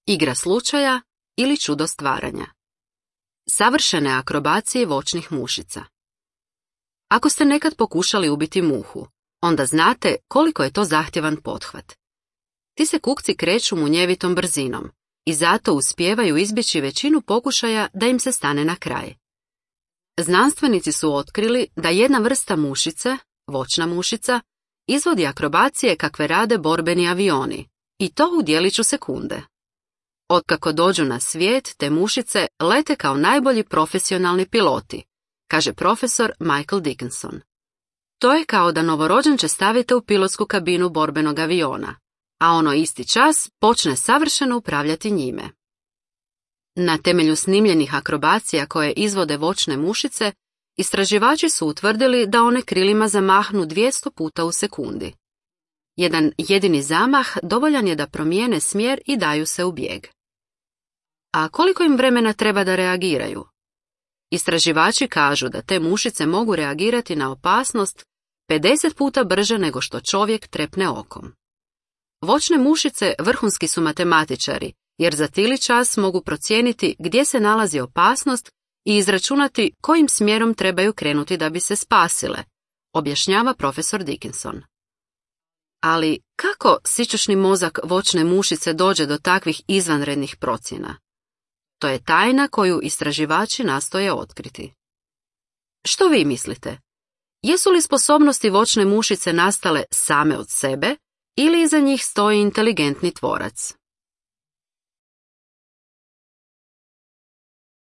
igra slučaja ili čudo stvaranja. Savršene akrobacije voćnih mušica. Ako ste nekad pokušali ubiti muhu, onda znate koliko je to zahtjevan pothvat. Ti se kukci kreću munjevitom brzinom i zato uspijevaju izbjeći većinu pokušaja da im se stane na kraj. Znanstvenici su otkrili da jedna vrsta mušice, voćna mušica, izvodi akrobacije kakve rade borbeni avioni, i to u djeliću sekunde. Otkako dođu na svijet, te mušice lete kao najbolji profesionalni piloti, kaže profesor Michael Dickinson. To je kao da novorođenče stavite u pilotsku kabinu borbenog aviona, a ono isti čas počne savršeno upravljati njime. Na temelju snimljenih akrobacija koje izvode voćne mušice, istraživači su utvrdili da one krilima zamahnu 200 puta u sekundi. Jedan jedini zamah dovoljan je da promijene smjer i daju se u bijeg. A koliko im vremena treba da reagiraju? Istraživači kažu da te mušice mogu reagirati na opasnost 50 puta brže nego što čovjek trepne okom. Voćne mušice vrhunski su matematičari, jer za tili čas mogu procijeniti gdje se nalazi opasnost i izračunati kojim smjerom trebaju krenuti da bi se spasile, objašnjava profesor Dickinson. Ali kako sićušni mozak voćne mušice dođe do takvih izvanrednih procjena? To je tajna koju istraživači nastoje otkriti. Što vi mislite? Jesu li sposobnosti voćne mušice nastale same od sebe ili iza njih stoji inteligentni tvorac?